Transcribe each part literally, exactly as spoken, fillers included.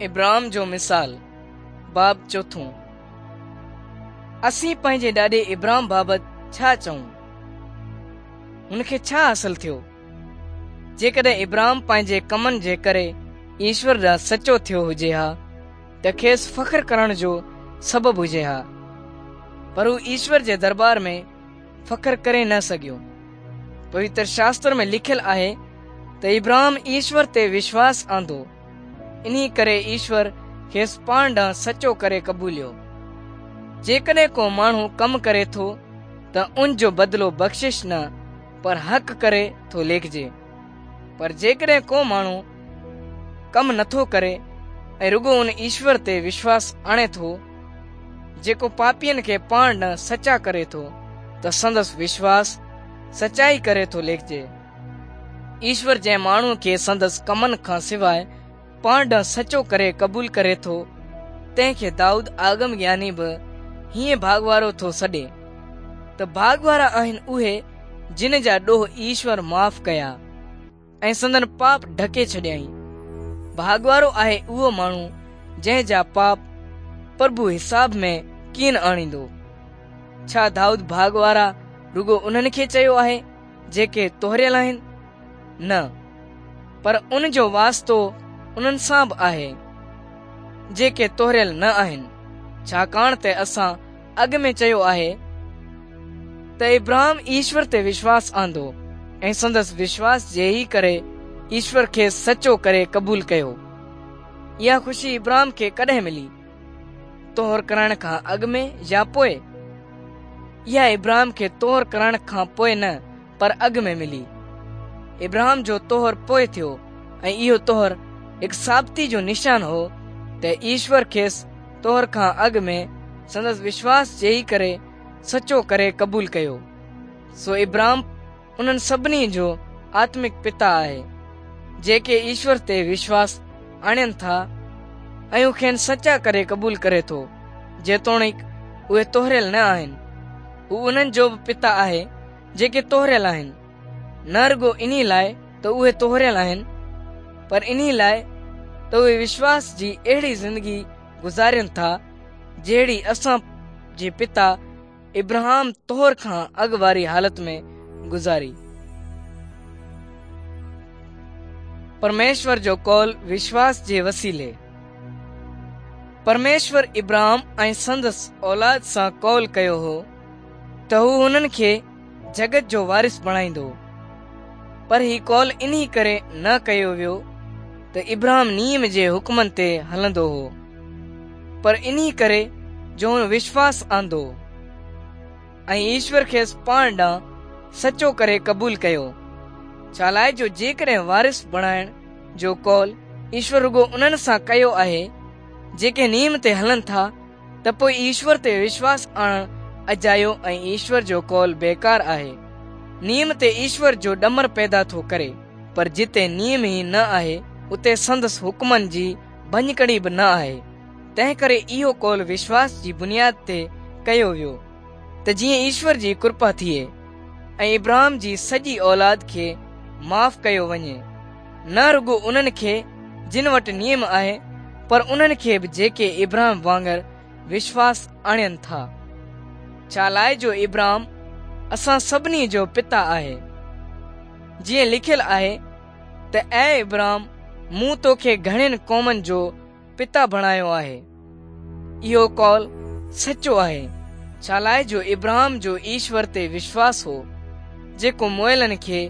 Abraham جو مثال باب چوٿون. اسين پنهنجي ڏاڏي ابراهم بابت ڇا چئون؟ هن کي ڇا حاصل ٿيو؟ جيڪڏهن ابراهم پنهنجي ڪمن جي ڪري ايشور ڏانهن سچو ٿيو هجي ها ته کيس فخر ڪرڻ جو سبب هجي ها، پر هو ايشور جي دربار ۾ فخر ڪري نه سگهيو. پوتر شاستر ۾ لکيل آهي ته ابراهم ايشور تي وشواس آندو، انهي ڪري ايشور کيس پاڻ ڏانهن سچو ڪري قبوليو. جيڪڏهن ڪو ماڻهو ڪم ڪري ٿو ته ان جو بدلو بخشش نه پر حق ڪري ٿو ليکجي. پر جيڪڏهن ڪو ماڻهو ڪم نٿو ڪري ۽ رڳو ان ايشور تي وشواس آڻي ٿو جيڪو پاپين کي پاڻ ڏانهن سچا ڪري ٿو ته سندس وشواس سچائي ڪري ٿو ليکجي. ايشور جنهن ماڻهو کي سندس ڪمن کان سواءِ پاڻ ڏانهن سچو ڪري قبول ڪري ٿو تنهن کي دائود آگم گياني به هيئن ڀاڳوارو ٿو سڏي ته ڀاڳوارا آهن اهي جن جا ڏوهه ايشور معاف ڪيا ۽ سندن پاپ ڍڪي ڇڏيائين. ڀاڳوارو آهي اهو ماڻهو جنهن جا پاپ پرڀو حساب ۾ ڪين آڻيندو. ڇا دائود ڀاڳوارا رڳو انهن کي چيو آهي جيڪي طهريل آهن؟ نه، پر ان جو واسطو انهن سان به آهي جيڪي طهريل نه آهن، ڇاڪاڻ ته اسان اڳ ۾ چيو آهي ته ابراهم ايشور تي وشواس آندو ۽ سندس وشواس جي ئي ڪري ايشور کي سچو ڪري قبول ڪيو. اها خوشي ابراهم کي ڪڏهن ملي؟ طهر ڪرائڻ کان اڳ ۾ يا پوءِ؟ اها ابراهم کي طهر ڪرائڻ کان پوءِ نه پر اڳ ۾ ملي. ابراهم جو طهر پوءِ ٿيو ۽ اهو طهر هڪ ثابتي جو نشان هو ته ايشور کيس طهر کان اڳ ۾ سندس وشواس جي ئي ڪري سچو ڪري قبول ڪيو. سو ابراهم انهن سڀني جو آتمڪ پتا آهي جيڪي ايشور تي وشواس آڻين ٿا ۽ هو کين سچا ڪري قبول ڪري ٿو، جيتوڻيڪ اهي طهريل نه آهن. هو انهن جو به پتا آهي جيڪي طهريل آهن، نه رڳو انهي لاءِ ته اهي طهريل آهن پر انهي لاءِ ته اهي وشواس جي اهڙي زندگي گذارين ٿا جهڙي اسان جي پتا ابراهم طهر کان اڳ واري حالت ۾ گذاري. پرميشور جو قول وشواس جي وسيلي. پرميشور ابراهم ۽ سندس اولاد سان قول ڪيو هو ته هو هنن کي جڳت جو وارث بڻائيندو، پر هي قول انهي ڪري نه ڪيو ويو ته ابراهم نيم جي حڪمن تي هلندو هو، پر انهي ڪري جو هن وشواس آندو ۽ ايشور کيس پاڻ ڏانهن سچو ڪري قبول ڪيو. ڇا لاءِ جو جيڪڏهن وارث بڻائڻ جو قول ايشور رڳو انهن سان ڪيو آهي جيڪي نيم تي هلن ٿا ته پوءِ ايشور تي وشواس آڻڻ اجايو ۽ ايشور جو قول بيڪار آهي. نيم تي ايشور جو ڏمر پيدا ٿو ڪري، پر جتي نيم ئي نه آهي اتي سندس حڪمن جي ڀڃڪڙي به نه آهي. تنهن ڪري اهو قول وشواس جي بنياد تي ڪيو ويو ته جيئن ايشور جي ڪرپا ٿئي ۽ ابراهم جي سڄي اولاد کي معاف ڪيو وڃي، نه رڳو انهن کي جن وٽ نيم آهي پر انهن کي به جيڪي ابراهم وانگر وشواس آڻين ٿا. ڇا لاءِ جو ابراهم اسان سڀني جو پتا آهي. جيئن لکيل آهي ته اي ابراهم، مون توکي گهڻين قومن جو پتا بڻايو آهي. اهو قول سچو آهي، ڇا لاءِ جو ابراهم جو ايشور تي وشواس هو جيڪو مئلن کي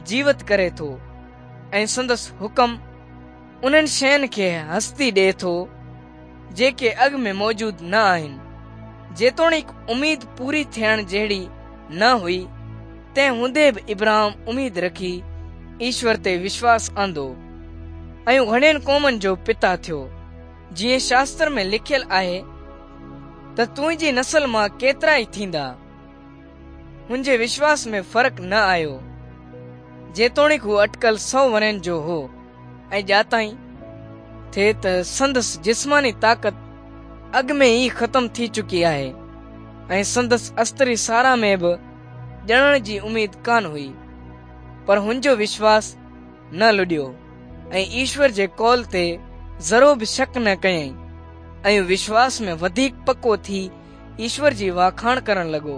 جيوت ڪري ٿو ۽ سندس حڪم انهن شين کي هستي ڏئي ٿو جيڪي اڳ ۾ موجود نه آهن. جيتوڻيڪ اميد پوري ٿيڻ جهڙي نه هئي، تنهن هوندي به ابراهم اميد رکي ايشور تي وشواس آندو ۽ گهڻين قومن جو پتا ٿيو. جيئن شاستر ۾ لکيل آهي ته تنهنجي نسل مان ڪيترا ئي ٿيندا. هن جي وشواس ۾ فرق نه آيو، جيتوڻيڪ هو اٽڪل سؤ ورهين جو هو ۽ ڄاتائين ٿي ته سندس جسماني طاقت اڳ ۾ ئي ختم ٿي چڪي آهي ۽ سندس استري سارا ۾ به ڄڻڻ جي اميد ڪانه هئي، پر هن جو وشواس نه لڏيو ۽ ايشور جي قول تي ذرو به شڪ نه ڪيائين ۽ وشواس ۾ وڌيڪ پڪو ٿي ايشور جي واکاڻ ڪرڻ لڳو.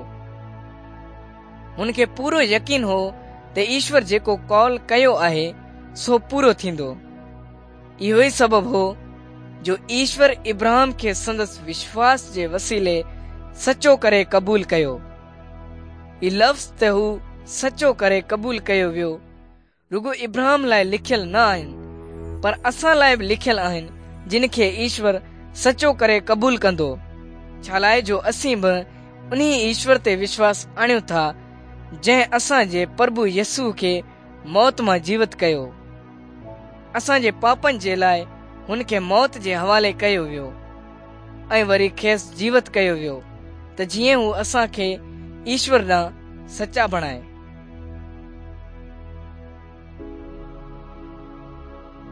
هن کي پورو يقين هو ته ايشور جيڪو قول ڪيو آهي سو پورو ٿيندو. اهو ئي سبب هو جو ايشور ابراهام کي سندس وشواس جي وسيلي سچو ڪري قبول ڪيو. هي لفظ ته هو سچو ڪري قبول ڪيو ويو رڳو ابراهام لاءِ لکيل نه آهن، پر اسان لاءِ به لکيل آهن جن کي ايشور سچو ڪري قبول ڪندو، ڇا لاءِ جو اسين به انهي ايشور تي وشواس آڻيون ٿا جنهن اسان جي پرڀو يسوع کي موت مان جيوت ڪيو. اسان جي پاپن جي لاءِ هن کي موت جي حوالي ڪيو ويو ۽ وري کيس جيوت ڪيو ويو ته جيئن هو اسان کي ايشور ڏانهن سچا بڻائي.